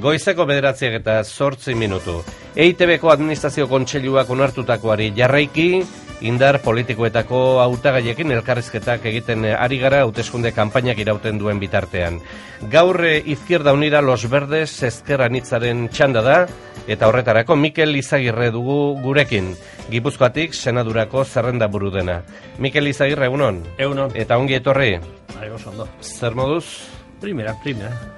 Goizeko 9:08. EITBko administrazio kontseiluak onartutakoari jarraiki, indar politikoetako hautagaiekin elkarrizketak egiten ari gara hauteskunde kanpainak irauten duen bitartean. Gaur Izquierda Unida Los Verdes ezker anitzaren txanda da, eta horretarako Mikel Izagirre dugu gurekin. Gipuzkoatik senadurako zerrenda buru dena. Mikel Izagirre, egunon? Egunon. Eta ongi etorri? Ondo. Zer moduz? Primera.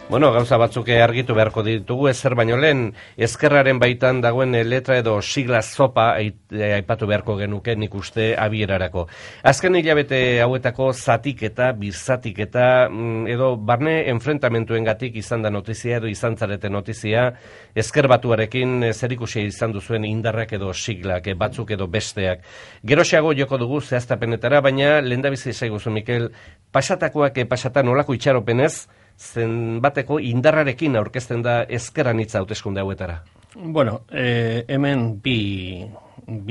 Bueno, gauza batzuk argitu beharko ditugu, ezer baino lehen, ezkerraren baitan dagoen letra edo sigla zopa aipatu beharko genuke nik uste abierarako. Azken hilabete hauetako zatiketa, birzatiketa, edo barne enfrentamentuengatik izan da notizia edo izan zarete notizia, ezker batuarekin zerikusia izan duzuen indarrak edo siglak, batzuk edo besteak. Geroxeago joko dugu zehaztapenetara, baina lehendabizi zaiguzu, Mikel, pasatakoak pasatan olako itxaropenez, zenbateko indarrarekin aurkezten da ezker anitza hauteskunde hauetara? Bueno, hemen bi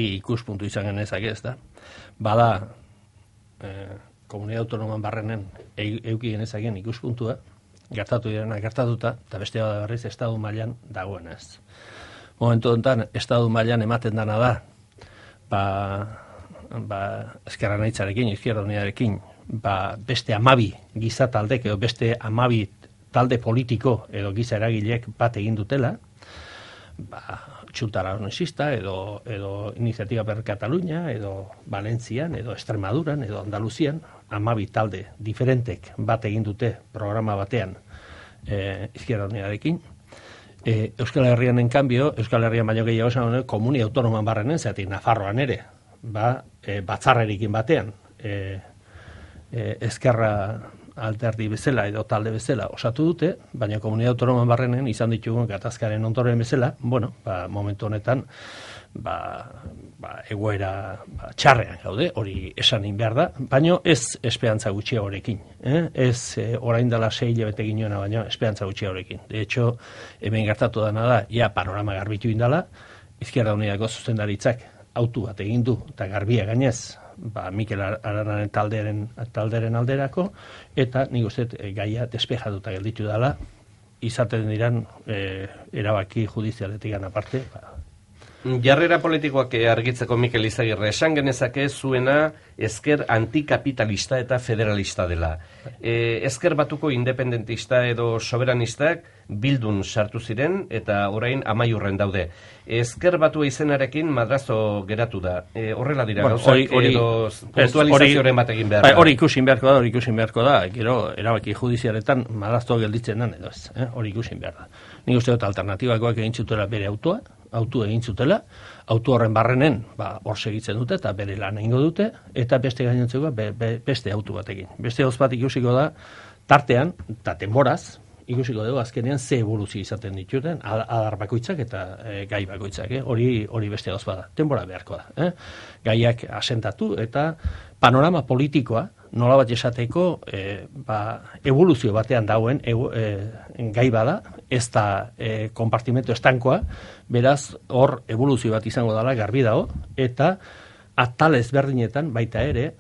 ikuspuntu izan genezake, ez da. Bada, komunidad autonoman barrenen euki genezaken ikuspuntua, gertatu direna gertatuta, eta beste bada berriz estadu mailan dagoenez. Momentu honetan, estadu mailan ematen dana da, ezker anitzarekin, Izquierda Unidarekin, beste 12 giza taldek edo beste 12 talde politiko edo giza eragilek bat egin dutela, Junta Aragonesista edo Iniciativa per Cataluña edo Valentzian edo Extremaduran edo Andaluzian 12 talde diferentek bat egin dute programa batean Izquierda Unidarekin. Euskal Herrian en cambio, Euskal Herrian baino gehiago esan komunia autonoman barrenen, zeatik Nafarroan ere, batzarrerekin batean, ezkerra alderdi bezala edo talde bezala osatu dute, baina komunidad autonoman barrenen izan ditugun gatazkaren ondoren bezala, bueno, momentu honetan egoera txarrean gaude, hori esanin behar da, baina ez esperantza gutxiagorekin, ez orain dela 6 hilabete ginoena, baina esperantza gutxiagorekin. De hecho, hemen gertatu dana da, ja panorama garbitu indala, Izquierda Unidako zuzendaritzak autu bat egin du, eta garbia gainez, Mikel Aranaren talderen alderako, eta nik uste gaia despejatuta gelditu dela, izaten diran erabaki judizialetik aparte. Jarrera politikoak argitzeko Mikel Izagirre, esan genezake zuena ezker antikapitalista eta federalista dela. Ezker batuko independentista edo soberanistak bildun sartu ziren eta orain amaiurren daude. Ezker batua izenarekin madrazo geratu da. Horrela dira, gauzak edo puntualizazioaren bat egin behar da. Hori ikusin beharko da, gero erabaki judizialetan madrazo gelditzen den edo ez. Hori ikusin behar da. Nik uste dut alternatibakoak egin zutela bere autu egin zutela, autu horren barrenen hor segitzen dute eta bere lan egingo dute, eta beste gainontzeko beste autu batekin. Beste gauz bat ikusiko da, tartean, eta denboraz, ikusiko dugu azkenean ze evoluzio izaten dituten, adar bakoitzak eta gai bakoitzak. Hori beste gauz bada, denbora beharko da. Gaiak asentatu eta panorama politikoa, nola bat esateko evoluzio batean dauen gai bada, ez da konpartimento estankoa, beraz hor evoluzio bat izango dela garbi dago, eta atal ezberdinetan baita ere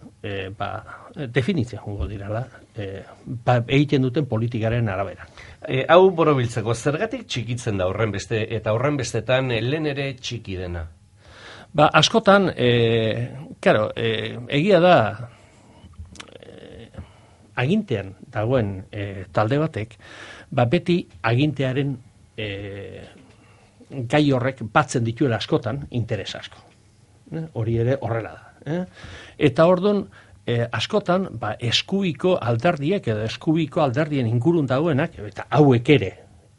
definitzea jongo dirala egiten duten politikaren arabera. Hau borobiltzeko, zergatik txikitzen da horren beste, eta horren bestetan lehen ere txiki dena? Askotan, egia da, agintean dagoen talde batek, beti agintearen gai horrek batzen dituela askotan interes asko. Hori ere horrela da. Eta orduan, askotan, eskuiko alderdiek edo eskuiko alderdien ingurun dagoenak, eta hauek ere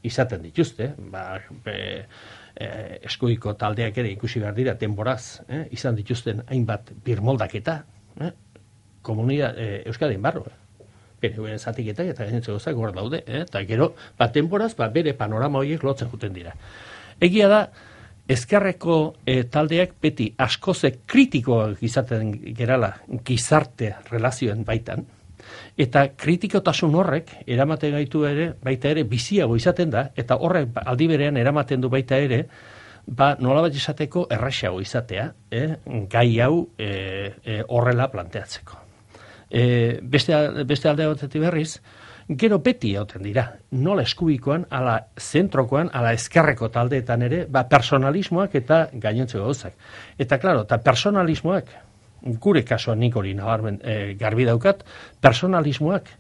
izaten dituzte, eskuiko taldeak ere ikusi behar dira denboraz, izan dituzten hainbat birmoldaketa, komunidad Euskadin barro, bere zatiketak eta gainentzeko zak hor daude, eta gero, denboraz, bere panorama horiek lotzen juten dira. Egia da, ezkerreko taldeak beti askoze kritikoak izaten gerala gizarte relazioen baitan, eta kritikotasun horrek eramaten gaitu ere, baita ere biziago izaten da, eta horrek aldi berean eramaten du baita ere, nolabat esateko erraxago izatea, gai hau horrela planteatzeko. Beste alde batetik berriz, gero beti hauten dira, nola eskubikoan, ala zentrokoan, ala ezkerreko taldeetan ere, personalismoak eta gainontzeko gauzak. Eta, klaro, eta personalismoak, gure kasuan nik hori nabarmen garbi daukat, personalismoak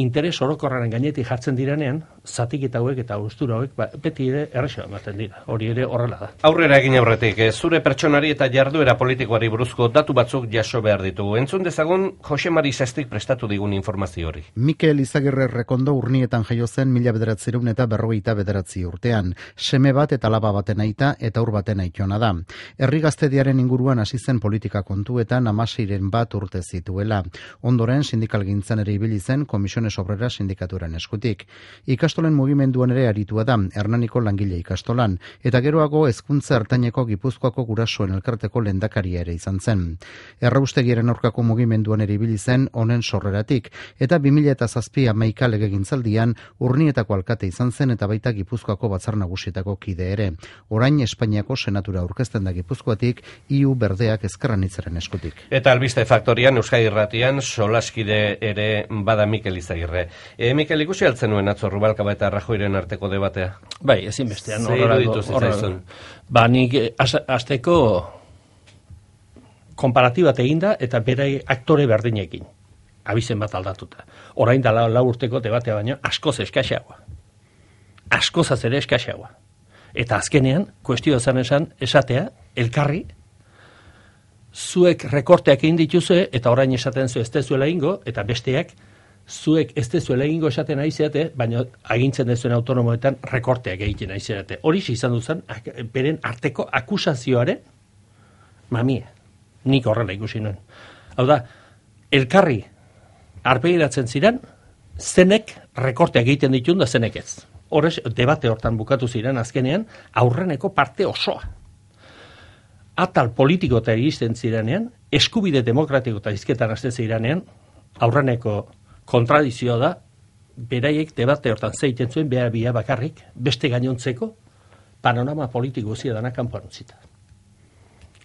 interes orokorraren gainetik jartzen direnean, zatiketa hauek eta gustura hauek beti ere errexo ematen dira. Hori ere horrela da. Aurrera egin aurretik, zure pertsonari eta jarduera politikoari buruzko datu batzuk jaso behar ditugu. Entzun dezagun Jose Mari Sestik prestatu digun informazio hori. Mikel Izagirre Rekondo Urnietan jaio zen 1949 urtean. Seme bat eta alaba baten aita eta ur baten aitona da. Herri gaztediaren inguruan hasi zen politika kontuetan 16 bat urte zituela. Ondoren sindikalgintzan ere ibili zen Komisiones Obreras sindikaturan eskutik. Ikastolen mugimenduan ere aritua da, Hernaniko langile ikastolan, eta geroago hezkuntza ertaineko Gipuzkoako gurasoen elkarteko lehendakaria ere izan zen. Erraustegiaren aurkako mugimenduan ere ibili zen honen sorreratik, eta 2007 legegintzaldian Urnietako alkate izan zen eta baita Gipuzkoako batzar nagusietako kide ere. Orain Espainiako senatura aurkezten da Gipuzkoatik, IU berdeak ezkerranitzaren eskutik. Eta albiste faktorian, Euskadi Irratian, solaskide ere bada Mikel Izagirre. Mikel, ikusi altzen nuen atzo Rubalcaba eta Rajoyren arteko debatea? Bai, ezinbestean. Ba, nik azteko konparatibat eginda eta berai aktore berdinekin. Abizen bat aldatuta. Orain da 4 urteko debatea baino askoz eskaxeagoa. Askozaz ere eskaxeagoa. Eta azkenean, kuestioa esan esatea, elkarri, zuek rekorteak egin dituzue, eta orain esaten zu ez dezuela ingo, eta besteak, zuek ez dezuela egingo esaten ari zeate, baina agintzen dezuen autonomoetan rekorteak egiten ari zeate. Hori izan duzen, beren arteko akusazioaren mamia. Nik horrela ikusi nuen. Hau da, elkarri arpegiratzen ziren, zenek rekorteak egiten ditun da zenek ez. Horrez, debate hortan bukatu ziren azkenean, aurreneko parte osoa. Atal politiko eta iristen zirenean, eskubide demokratiko eta izketan azten zirenean, aurreneko kontradizioa da, beraiek debate hortan zeiten zuen, bia bakarrik, beste gainontzeko, panorama politiko zia dana kanpoan utzita.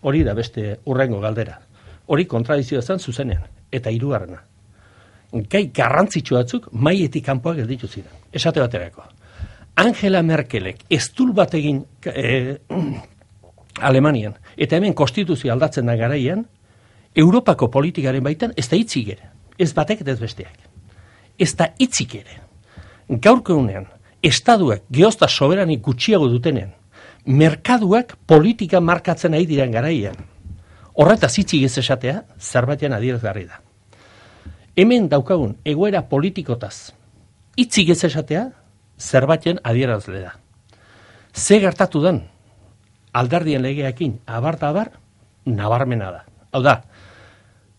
Hori da beste urrengo galdera. Hori kontradizioa zen zuzenean, eta hirugarrena. Gai garrantzitsu batzuk maietik kanpoak gelditu ziren. Esate baterako. Angela Merkelek eztul bat egin Alemanian, eta hemen konstituzio aldatzen da garaian, Europako politikaren baitan ez da hitzik ere. Ez batek eta ez besteak. Ez da hitzik ere. Gaurko egunean, estaduak geozta soberanik gutxiago dutenean, merkaduak politika markatzen ari diren garaian, horretaz hitzik ez esatea, zerbaitean adierazgarri da. Hemen daukagun egoera politikotaz hitzik ez esatea, zerbaiten adierazle da. Ze gertatu den alderdien legeekin abar nabarmena da. Hau da,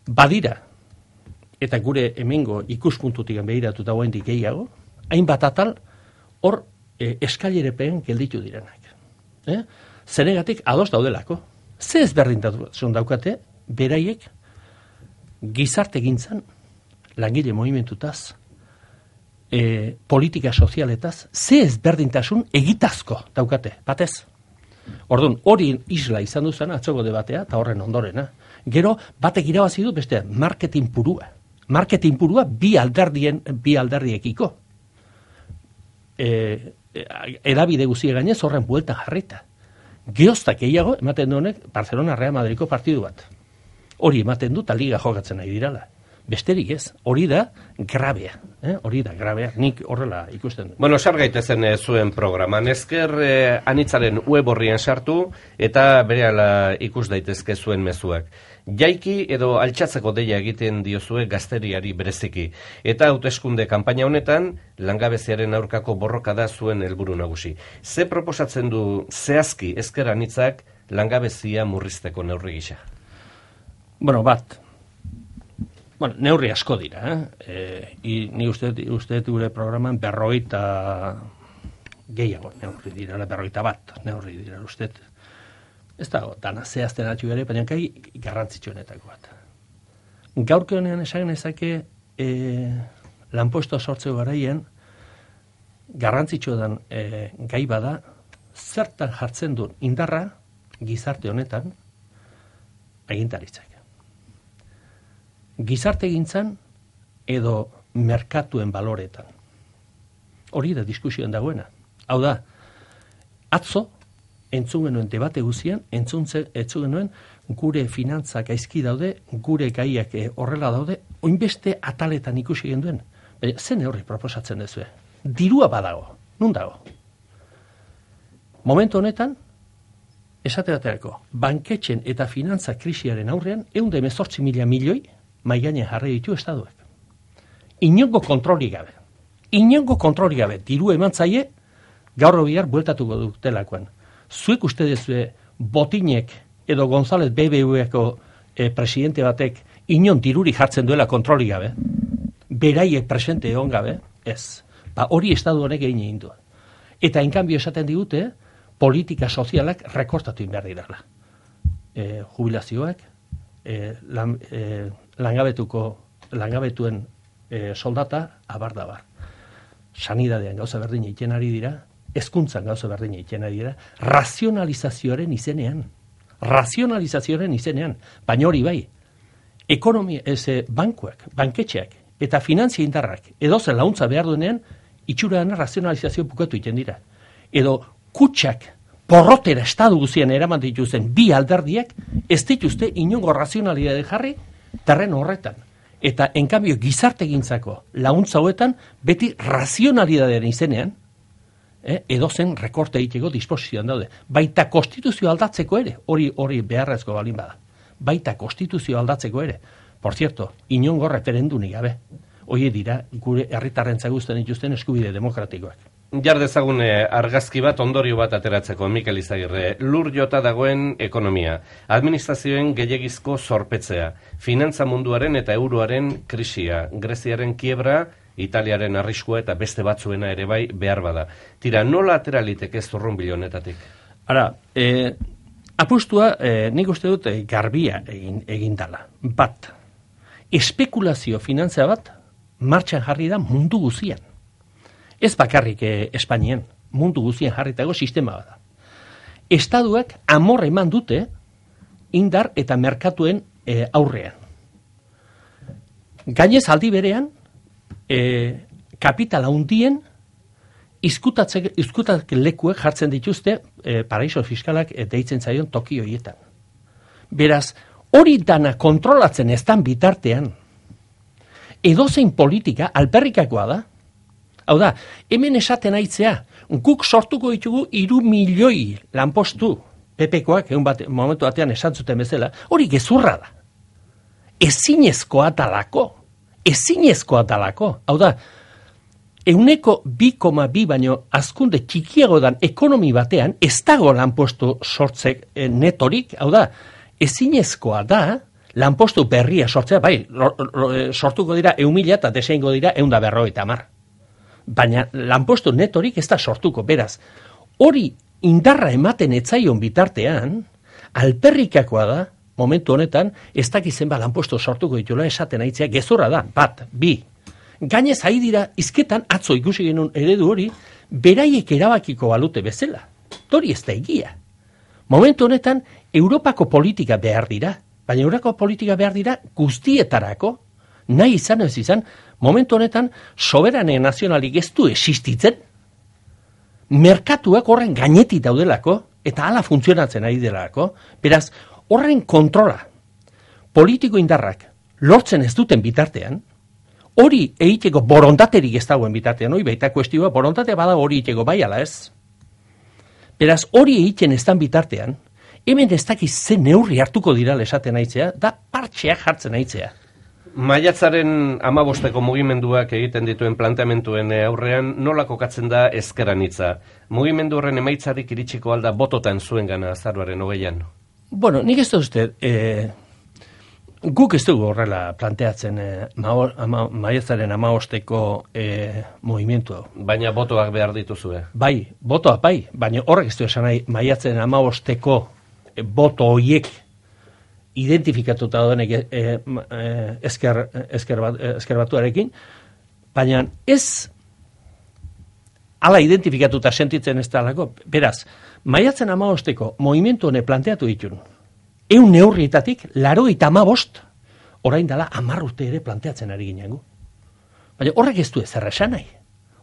badira, eta gure hemengo ikuspuntutik begiratuta guaindik gehiago, hainbat atal hor eskailerepen gelditu direnak. Zenegatik ados daudelako. Ze ezberdintasun daukate, beraiek gizarte gintzan, langile movimentutaz, politika sozialetaz, ze ezberdintasun egitazko daukate, batez. Orduan, hori isla izan duzan atzoko debatea, eta horren ondorena. Gero, batek irabazi du beste marketing purua. Marketing purua bi alderdiekiko. Edabide guzie gainez horren bueltan jarrita. Geoztak gehiago ematen du honek Barcelona Real Madridko partidu bat. Hori ematen du eta liga jokatzen nahi dirala. Besterik ez, hori da grabea. Hori da grabea, nik horrela ikusten du. Bueno, sar gaitezen zuen programan. Ezker anitzaren web horrian sartu eta berehala ikus daitezke zuen mezuak. Jaiki edo altxatzeko deia egiten diozue gazteriari bereziki. Eta hauteskunde kanpaina honetan, langabeziaren aurkako borroka da zuen helburu nagusi. Ze proposatzen du zehazki Ezker anitzak langabezia murrizteko neurri gisa? Bueno, neurri asko dira. Ni uste gure programan 50 gehiago neurri dira, 51 neurri dira uste. Ez da, dana zehazten atxu ere, baina kai garrantzitsuenetako bat. Gaurko honean esan ezake lanposto sortzeko garaien garrantzitsua den gai bada, zertan jartzen duen indarra gizarte honetan agintaritzak. gizartegintzan edo merkatuen baloretan. Hori da diskusioen dagoena. Hau da, atzo, entzun genuen debate guzian, entzun genuen gure finantzak gaizki daude, gure gaiak horrela daude, oinbeste ataletan ikusi genduen. Baina, zen horri proposatzen dezue? Dirua badago, nun dago? Momentu honetan, esate baterako, banketxen eta finantza krisiaren aurrean, 118.000 milioi maigainen jarri ditu estaduek. Inongo kontrolik gabe, diru eman zaie, gaur bihar bueltatuko dutelakoan. Zuek uste dezue Botinek edo González BBVako presidente batek inon diruri jartzen duela kontrolik gabe? Beraiek presente egon gabe? Ez. Hori estadu honek egin egin du. Eta enkanbio esaten digute, politika sozialak rekortatu behar dirala. Jubilazioak, langabetuen soldata, abar. Sanidadean gauza berdin egiten ari dira, hezkuntzan gauza berdin egiten ari dira, razionalizazioaren izenean, baina hori bai, ekonomia, bankuak, banketxeak, eta finantzia indarrak, edozen launtza behar duenean, itxuraan razionalizazio bukatu egiten dira. Edo kutxak, porrotera estadu guzien eraman dituzen bi alderdiak, ez dituzte inongo razionalidade jarri terreno horretan. Eta, enkambio, gizartegintzako launtza hauetan, beti razionalidadearen izenean, edozen rekorte egiteko disposizioan daude. Baita konstituzio aldatzeko ere, hori beharrezko balin bada. Baita konstituzio aldatzeko ere. Por cierto, inongo referendunik gabe. Hoi dira, gure herritarrentza guztien dituzten eskubide demokratikoak. Jar dezagun argazki bat, ondorio bat ateratzeko, Mikel Izagirre. Lur jota dagoen ekonomia, administrazioen gehiagizko zorpetzea, finantza munduaren eta euroaren krisia, Greziaren kiebra, Italiaren arriskua eta beste batzuena ere bai behar bada. Tira, nola ateralitek ez zurrunbilo honetatik? Ara, apustua nik uste dut garbia egin dala. Bat, espekulazio finantza bat martxan jarri da mundu guzian. Ez bakarrik Espainian, mundu guzien jarritago sistema bada. Estaduak amor eman dute indar eta merkatuen aurrean. Gainez aldi berean, kapitala hundien izkutak lekuek jartzen dituzte paraiso fiskalak deitzen zaion toki horietan. Beraz, hori dana kontrolatzen eztan bitartean, edozein politika alperrikakoa da. Hau da, hemen esaten aitzea, guk sortuko ditugu 3 milioi lanpostu, PPkoak momentu batean esan zuten bezala, hori gezurra da. Ezinezkoa dalako. Hau da, 2,2 baino azkunde txikiago dan ekonomi batean, ez dago lanpostu sortzek netorik, hau da, ezinezkoa da, lanpostu berria sortzea, bai, sortuko dira 1.000 eta deseingo dira 150. Baina lanpostu netorik ez da sortuko, beraz. Hori indarra ematen etzaion bitartean, alperrikakoa da, momentu honetan, ez dakizen lanpostu sortuko ditula esaten aitzea, gezurra da, 1, 2. Gainez ari dira izketan, atzo ikusi genuen eredu hori, beraiek erabakiko balute bezala. Hori ez da egia. Momentu honetan, Europako politika behar dira, baina Europako politika behar dira guztietarako, nahi izan ez izan, momentu honetan, soberane nazionalik ez du existitzen, merkatuak horren gainetik daudelako, eta hala funtzionatzen ari delako, beraz, horren kontrola, politiko indarrak lortzen ez duten bitartean, hori egiteko borondaterik ez dagoen bitartean, hori baita kuestioa, borondatea bada hori egiteko bai ala ez. Beraz, hori egiten ez dan bitartean, hemen ez dakiz zen neurri hartuko dira esaten aitzea, da partxeak jartzen aitzea. Maiatzaren 15ko mugimenduak egiten dituen planteamentuen aurrean nola kokatzen da ezkeran hitza? Mugimendu horren emaitzarik iritsiko alda bototan zuen gana azaroaren 20an? Bueno, nik ez da uste, guk ez dugu horrela planteatzen maiatzaren 15ko mugimendu hau. Baina botoak behar dituzue? Bai, botoak bai, baina horrek ez du esan nahi maiatzaren 15ko boto horiek identifikatuta doenek ezker batuarekin, baina ez ala identifikatuta sentitzen ez dalako. Beraz, maiatzen 15ko movimentu hone planteatu ditun, 100 neurrietatik 85 orain dela 10 urte ere planteatzen ari ginen gu. Baina horrek ez du ezer esan nahi.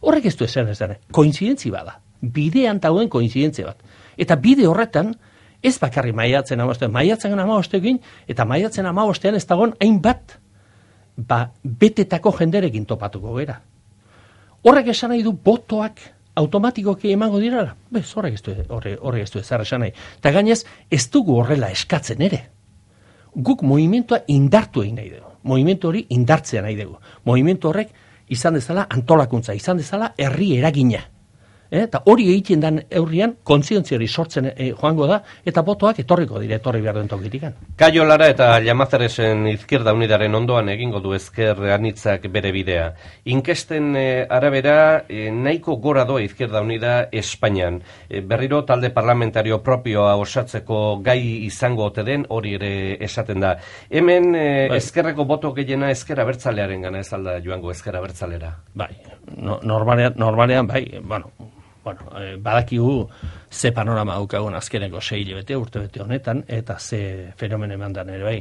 Horrek ez du ezer esan nahi. Koinzidentzi bada. Bidean dagoen koinzidentzia bat. Eta bide horretan, ez bakarri maiatzen 15 eta maiatzen 15 ez dagoen hainbat betetako jenderekin topatuko gera. Horrek esan nahi du botoak automatikoki emango dirala. Bez, horrek ez du ezer esan nahi. Eta gainez, ez dugu horrela eskatzen ere. Guk movimentua indartu egin nahi dugu. Movimentu hori indartzea nahi dugu. Movimentu horrek izan dezala antolakuntza, izan dezala herri eragina. Eta hori egiten den eurrian kontzientziari sortzen joango da, eta botoak etorri behar duen tokitikan. Kaio Lara eta Llamazaresen Izquierda Unidaren ondoan egingo du ezker anitzak bere bidea. Inkesten arabera nahiko gora doa Izquierda Unida Espainian. Berriro talde parlamentario propioa osatzeko gai izango ote den hori ere esaten da. Hemen ezkerreko boto gehiena ezker abertzalearen gana ez alda joango ezker abertzalera. Bai, normalean bai, badakigu ze panorama daukagun azkeneko 6 hilabete urtebete honetan, eta ze fenomeno emandan ere bai.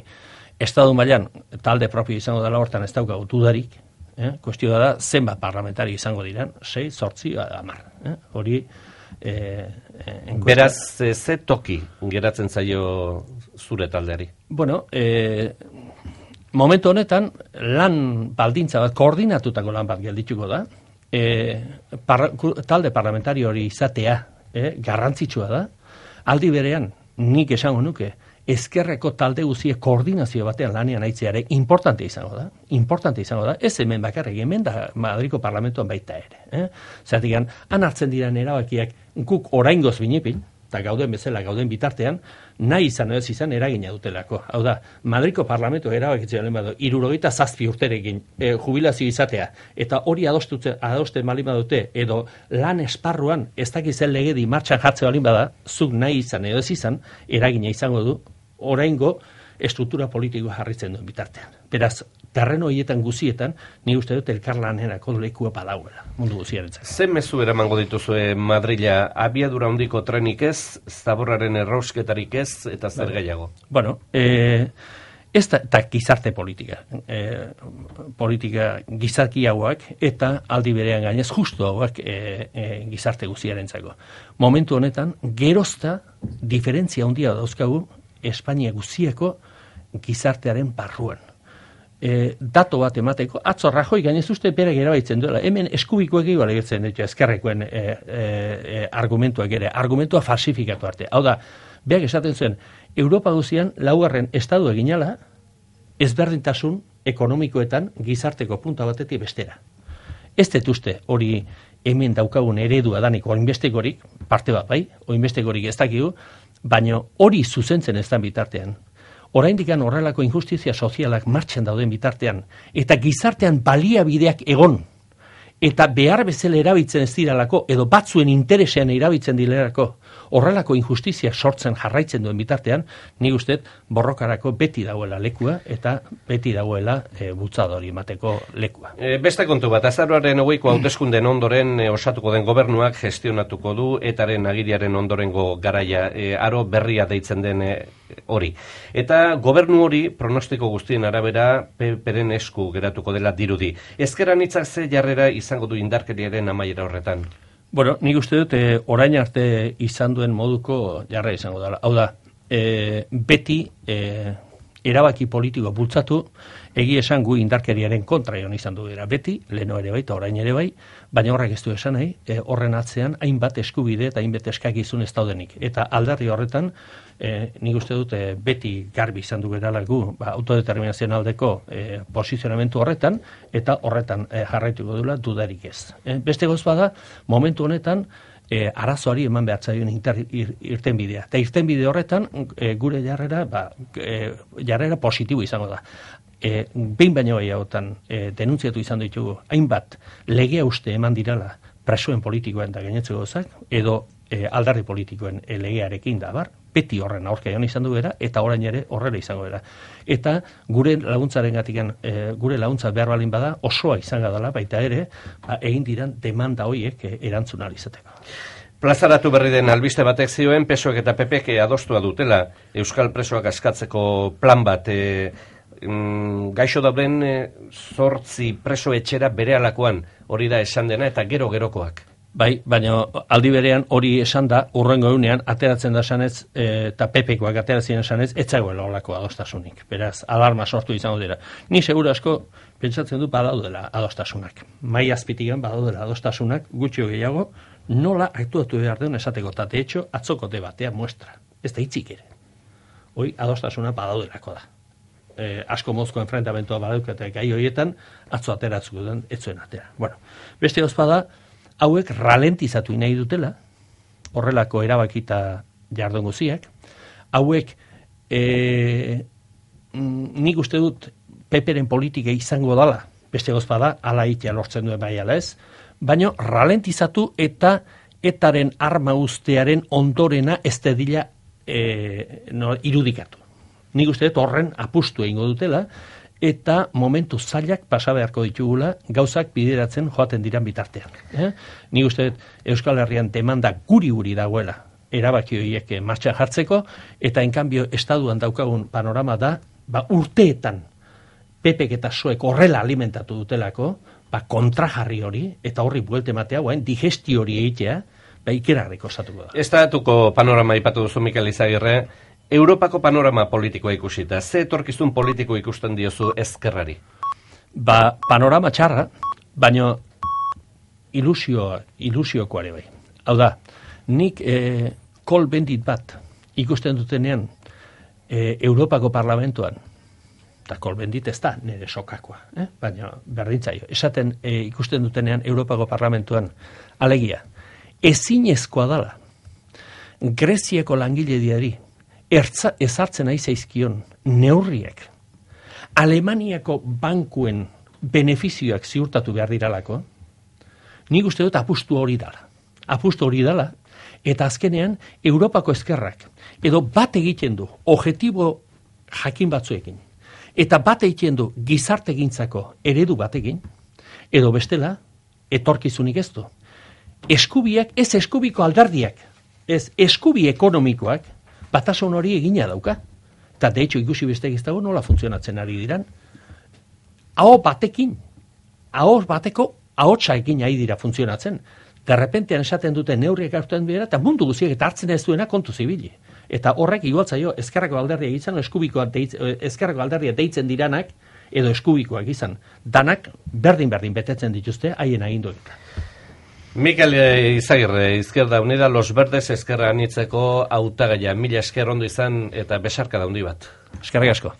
Estatu mailan talde propio izango dela hortan ez daukagu dudarik, kuestioa da zenbat parlamentari izango diran, 6, 8, 10. Hori beraz, ze toki geratzen zaio zure taldeari? Bueno, momentu honetan lan baldintza bat, koordinatutako lan bat geldituko da, talde parlamentario hori izatea garrantzitsua da, aldi berean nik esango nuke ezkerreko talde guziek koordinazio batean lanean aitzeare importante izango da, ez hemen bakarrik, hemen da Madriko parlamentuan baita ere. Zertikan, han hartzen diren erabakiak guk oraingoz binipin, eta gauden bezala, gauden bitartean, nahi izan edo ez izan eragina dutelako. Hau da, Madriko parlamentu erabakitzen badu, 67 urterekin jubilazio izatea, eta hori adosten balin badute, edo lan esparruan ez dakizen legedi martxan jartze balin bada, zuk nahi izan edo ez izan, eragina izango du, oraingo estruktura politikoa jarritzen duen bitartean. Beraz, terreno horietan guzietan, ni uste dut elkarlanerako lekua badauela, mundu guziarentzat. Zer mezu eramango dituzue Madrila, abiadura handiko trenik ez, zaborraren errausketarik ez, eta zer gehiago? Bueno, ez da gizarte politika. Politika gizaki hauak, eta aldi berean gainez justu hauak gizarte guziarentzako. Momentu honetan, gerozta diferentzia handia dauzkagu Espainia guzieko gizartearen barruan. Dato bat emateko, atzo Rajoy gainez uste berak erabaitzen duela, hemen eskubikoek egual egertzen ditu ezkerrekoen argumentuak ere, argumentua falsifikatu arte. Hau da, berak esaten zuen, Europa guzian laugarren estadu eginala, ezberdintasun ekonomikoetan gizarteko punta batetik bestera. Ez dut uste hori hemen daukagun eredua danik oinbestekorik, parte bat bai, oinbestekorik ez dakigu, baina hori zuzentzen ez den bitartean. Oraindikan horrelako injustizia sozialak martxan dauden bitartean, eta gizartean baliabideak egon, eta behar bezala erabiltzen ez diralako, edo batzuen interesean erabiltzen direlako, horrelako injustizia sortzen jarraitzen duen bitartean, nik uste borrokarako beti dagoela lekua, eta beti dagoela bultzadori emateko lekua. Beste kontu bat, azaroaren 20ko hauteskunden ondoren osatuko den gobernuak gestionatuko du, etaren agiriaren ondorengo garaia, aro berria deitzen den hori. Eta gobernu hori, pronostiko guztien arabera, peren esku geratuko dela dirudi. Ezker anitzak ze jarrera izango du indarkeriaren amaiera horretan? Bueno, nik uste dut orain arte izan duen moduko jarrera izango dela. Hau da, beti erabaki politiko bultzatu, egi esan gu indarkeriaren kontra egon izan du dira. Beti, leheno ere bai, eta orain ere bai, baina horrek ez du esan nahi, horren atzean hainbat eskubide eta hainbat eskakizun ez daudenik. Eta aldarri horretan, nik uste dut beti garbi izan du gerala gu autodeterminazioan aldeko posizionamentu horretan, eta horretan jarraituko dula dudarik ez. Beste goz bada, momentu honetan, arazoari eman behar zaion irtenbidea. Eta irtenbide horretan, gure jarrera positibo izango da. Behin baino gehiagotan denuntziatu izan ditugu, hainbat legea uste eman dirala presoen politikoen da gainetzeko gozak, edo aldarri politikoen legearekin da bar, beti horren aurka joan izan du bera, eta orain ere horrela izango bera. Eta gure laguntzaren gatikan, gure laguntza behar balin bada, osoa izango dela, baita ere, egin diran demanda horiek erantzun ahal izateko. Plazaratu berri den albiste batek zioen, PSOek eta PPek adostua dutela Euskal presoak askatzeko plan bat gaixo dauden 8 preso etxera berealakoan, hori da esan dena, eta gero-gerokoak. Bai, baina aldi berean hori esan da, urrengo egunean, ateratzen da esanez, eta pepekoak ateratzen esanez, etzagoela olako adostasunik. Beraz, alarma sortu izango dira. Ni segura asko, pentsatzen du badaudela adostasunak. Mai azpitigan badaudela adostasunak, gutxio gehiago, nola aktuatu behar den esateko, eta de hecho, atzoko debatea muestra. Ez da hitzik ere. Hoi, adostasuna badaudelako da. Asko mozko enfrentamentoa badaukate gai horietan, atzo ateratzuko den, etzuen atera. Bueno, beste ozpada, hauek ralentizatu nahi dutela, horrelako erabakita jardun guziak, hauek nik uste dut peperen politika izango dala, beste gozpada, ala itea lortzen duen bai ala ez, baina ralentizatu eta etaren arma ustearen ondorena ez dedila irudikatu. Nik uste dut horren apustu egingo dutela, eta momentu zailak pasa beharko ditugula gauzak bideratzen joaten diran bitartean. Nik uste dut Euskal Herrian demanda guri dagoela erabaki horiek martxan jartzeko, eta enkanbio estaduan daukagun panorama da, urteetan pepek eta soek horrela alimentatu dutelako, kontrajarri hori, eta horri buelte matea, digesti hori egitea, ikerarriko osatuko da. Estatuko panorama ipatu duzu, Mikel Izagirre, Europako panorama politikoa ikusita, ze etorkizun politiko ikusten diozu ezkerrari? Panorama txarra, baina ilusiokoare bai. Hau da, nik kol bendit bat ikusten dutenean Europako parlamentuan, eta kol bendit ez da nire sokakoa, baina berdintzaio, esaten ikusten dutenean Europako parlamentuan, alegia, ezinezkoa dala, Greziako langilediari, ezartzen ari zaizkion neurriek Alemaniako bankuen benefizioak ziurtatu behar diralako, nik uste dut apustu hori dala, eta azkenean Europako ezkerrak edo bat egiten du objektibo jakin batzuekin, eta bat egiten du gizartegintzako eredu batekin, edo bestela etorkizunik ez du. Eskubiak, ez eskubiko alderdiak, ez eskubi ekonomikoak, batasun hori egina dauka. Eta de hecho ikusi besteak ez dago nola funtzionatzen ari diran. Aho bateko ahotsa egin ari dira funtzionatzen. Derrepentean esaten dute neurriak hartzen dira, eta mundu guziak eta hartzen ez duena kontu zibili. Eta horrek igualtzaio ezkerrako alderdia izan, ezkerrako alderdia deitzen diranak, edo eskubikoak izan. Danak berdin betetzen dituzte haien aginduetan. Mikel Izagirre, Izquierda Unida, Los Verdes ezkerra anitzeko hautagaia. Mila esker ondo izan eta besarka da handi bat. Eskerrik asko.